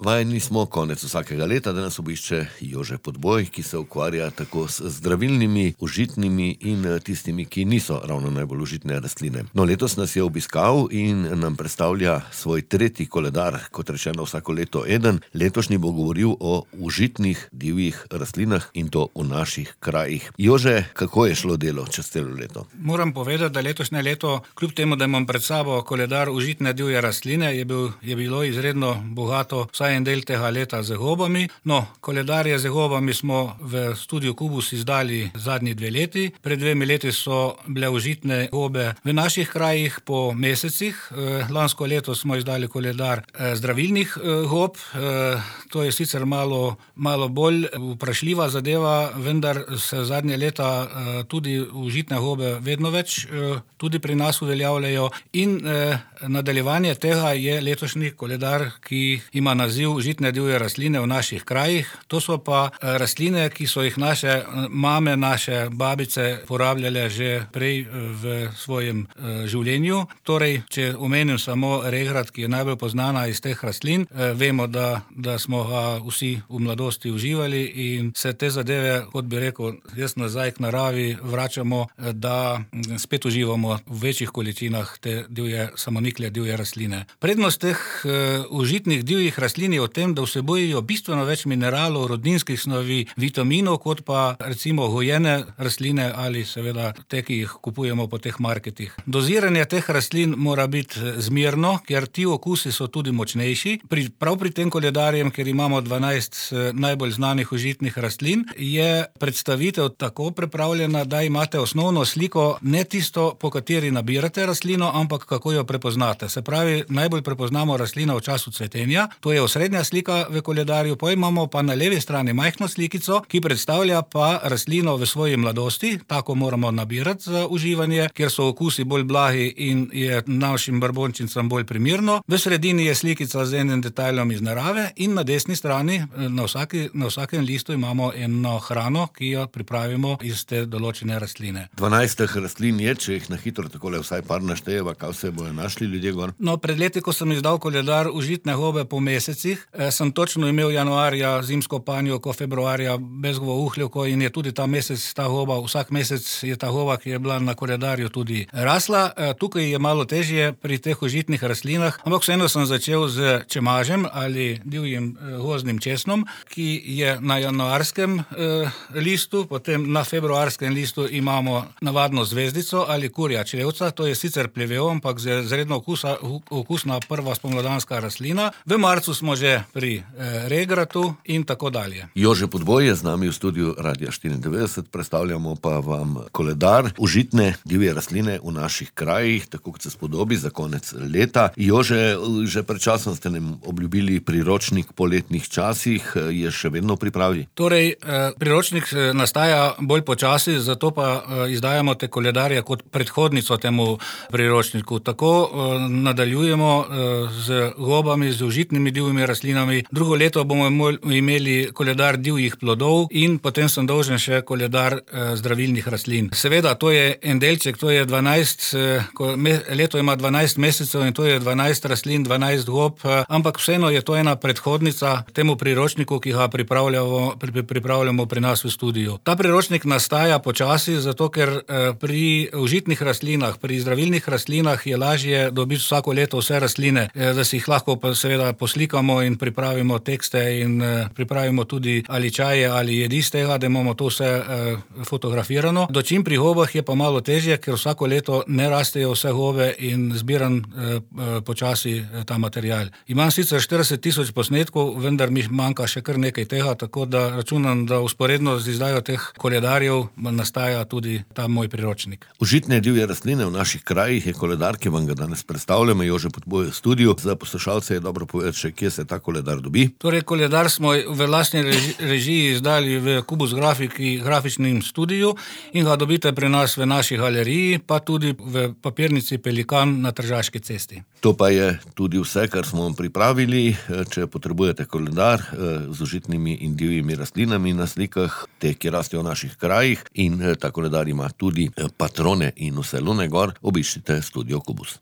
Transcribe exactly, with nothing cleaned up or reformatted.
Vajeni smo konec vsakega leta, da nas obišče Jože Podboj, ki se ukvarja tako s zdravilnimi, užitnimi in tistimi, ki niso ravno najbolj užitne rastline. No, letos nas je obiskal in nam predstavlja svoj tretji koledar, kot rečeno vsako leto eden. Letošnji bo govoril o užitnih divjih rastlinah in to v naših krajih. Jože, kako je šlo delo čez celo leto? Moram povedati, da letošnje leto, kljub temu, da imam pred sabo koledar užitne divje rastline, je, bil, je bilo izredno bogato vsaj en del tega leta z gobami. No, koledarje z gobami smo v studiu Kubus izdali zadnji dve leti. Pred dvemi leti so bile užitne gobe v naših krajih po mesecih. Lansko leto smo izdali koledar zdravilnih gob. To je sicer malo, malo bolj vprašljiva zadeva, vendar se zadnje leta tudi užitne gobe vedno več tudi pri nas uveljavljajo in nadaljevanje tega je letošnji koledar, ki ima naziv užitne divje rastline v naših krajih. To so pa rastline, ki so jih naše mame, naše babice porabljale že prej v svojem življenju. Torej, če omenim samo regrat, ki je najbolj poznana iz teh rastlin, vemo, da, da smo ga vsi v mladosti uživali in se te zadeve, kot bi rekel, jaz nazaj k naravi vračamo, da spet uživamo v večjih količinah te divje, samonikle divje rastline. Prednost teh uh, užitnih divjih rastlin je v tem, da vsebujejo bistveno več mineralov, rodninskih snovi, vitaminov, kot pa recimo gojene rastline ali seveda te, ki jih kupujemo po teh marketih. Doziranje teh rastlin mora biti zmerno, ker ti okusi so tudi močnejši. Pri, prav pri tem koledarjem, ker imamo dvanajst najbolj znanih užitnih rastlin, je predstavitev tako pripravljena, da imate osnovno sliko, ne tisto, po kateri nabirate rastlino, ampak kako jo prepoznate. Se pravi, najbolj prepoznamo rastlino v času cvetenja, to je osrednja slika v koledarju, pa imamo pa na levi strani majhno slikico, ki predstavlja pa rastlino v svoji mladosti, tako moramo nabirati za uživanje, kjer so okusi bolj blagi in je našim brbončincam bolj primirno. V sredini je slikica z enim detajlom iz narave in na desni strani, na, vsaki, na vsakem listu imamo eno hrano, ki jo pripravimo iz te določene rastline. dvanajst rastlin je, če jih na hitro takole vsaj par naštejeva, kaj vse bojo našli ljudje gor? No, pred leti, ko sem izdal koledar užitne gobe po mesecih, eh, sem točno imel januarja zimsko panjevko, februarja bezgovo uhljevko in je tudi ta mesec ta goba, vsak mesec je ta goba, ki je bila na koledarju tudi rasla. Eh, tukaj je malo težje pri teh užitnih rastlinah, ampak vseeno sem začel z čemažem ali divjim eh, gozdnim česnom, ki je na januarskem eh, listu, potem na februarskem listu imamo navadno zvezdico ali kurja črevca, to je sicer plevel, ampak zredno okusa, okusna prva spomladanska rastlina. V marcu smo že pri eh, regratu in tako dalje. Jože Podboj je z nami v studiu Radia štiriindevetdeset, predstavljamo pa vam koledar užitne divje rastline v naših krajih, tako kot se spodobi za konec leta. Jože, že pred časom ste nam obljubili priročnik po letnih časih, je še vedno v pripravi? Torej, eh, priročnik nastaja bolj počasi, zato pa eh, izdajamo te koledarje kot predhodnico temu priročniku. Tako eh, nadaljujemo eh, z gobami, z užitnimi divjimi rastlinami. Drugo leto bomo imeli koledar divjih plodov in potem sem dolžen še koledar eh, zdravilnih rastlin. Seveda, to je en delček, to je dvanajst, eh, me, leto ima dvanajst mesecev in to je dvanajst rastlin, dvanajst gob, eh, ampak vseeno je to ena predhodnica temu priročniku, ki ga pripravljamo, pri, pripravljamo pri nas v studiu. Ta priročnik nastaja počasi, zato ker eh, pri užitnih rastlinah, pri zdravilnih rastlinah je lažje dobiti vsako leto vse rastline, eh, da si jih lahko pa seveda poslikamo in pripravimo tekste in eh, pripravimo tudi ali čaje ali jedi z tega, da imamo to vse eh, fotografirano. Dočim pri gobah je pa malo težje, ker vsako leto ne rastejo vse gobe in zbiram eh, počasi eh, ta material. Imam sicer štirideset tisoč posnetkov, vendar mi manjka še kar nekaj tega, tako da računam, da usporedno z izdajo teh koledarjev nastaja tudi ta moj priročnik. Užitne divje rastline v naših krajih je koledar, ki vam ga danes predstavljamo, Jože Podboj v studiu. Za poslušalce je dobro povedati še, kje se ta koledar dobi. Torej, koledar smo v lastni reži, režiji izdali v Kubus grafiki, grafičnem studiju in ga dobite pri nas v naši galeriji, pa tudi v papirnici Pelikan na Tržaški cesti. To pa je tudi vse, kar smo vam pripravili. Če potrebujete koledar z užitnimi in divjimi rastlinami na slikah, te, ki rastejo v naših krajih, in ta koledar ima tudi patrone in vse lune gor, obiščite studio Kubus.